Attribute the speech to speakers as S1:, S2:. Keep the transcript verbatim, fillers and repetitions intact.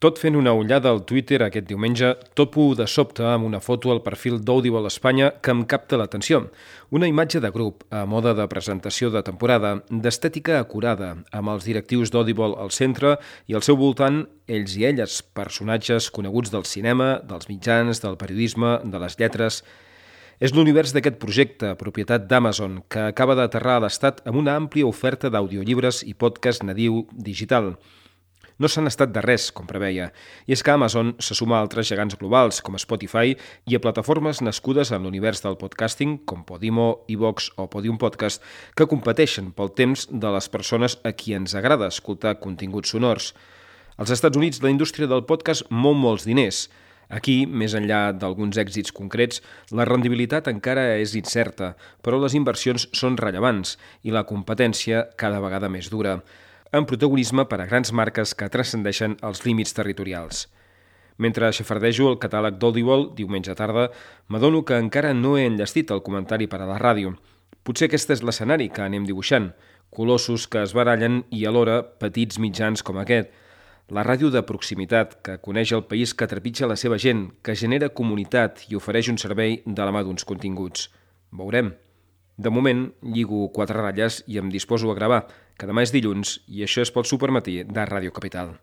S1: Tot fent una ullada al Twitter aquest diumenge, topo de sobte amb una foto al perfil d'Audible Espanya que em capta l'atenció. Una imatge de grup, a moda de presentació de temporada, d'estètica acurada, amb els directius d'Audible al centre i al seu voltant ells i elles, personatges coneguts del cinema, dels mitjans, del periodisme, de les lletres. És l'univers d'aquest projecte, propietat d'Amazon, que acaba d'aterrar a l'estat amb una àmplia oferta d'audiollibres i podcast nadiu digital. No s'han estat de res, com preveia, i és que Amazon se suma a altres gegants globals, com Spotify, i a plataformes nascudes en l'univers del podcasting, com Podimo, iVox o Podium Podcast, que competeixen pel temps de les persones a qui ens agrada escoltar continguts sonors. Als Estats Units, la indústria del podcast mou molts diners. Aquí, més enllà d'alguns èxits concrets, la rendibilitat encara és incerta, però les inversions són rellevants i la competència cada vegada més dura, amb protagonisme per a grans marques que transcendeixen els límits territorials. Mentre xafardejo el catàleg d'Audible diumenge tarda, m'adono que encara no he enllestit el comentari per a la ràdio. Potser aquest és l'escenari que anem dibuixant, colossos que es barallen i alhora petits mitjans com aquest. La ràdio de proximitat, que coneix el país que trepitja la seva gent, que genera comunitat i ofereix un servei de la mà d'uns continguts. Veurem. De moment, lligo quatre ratlles i em disposo a gravar, que demà és dilluns i això és pel Supermatí de Ràdio Capital.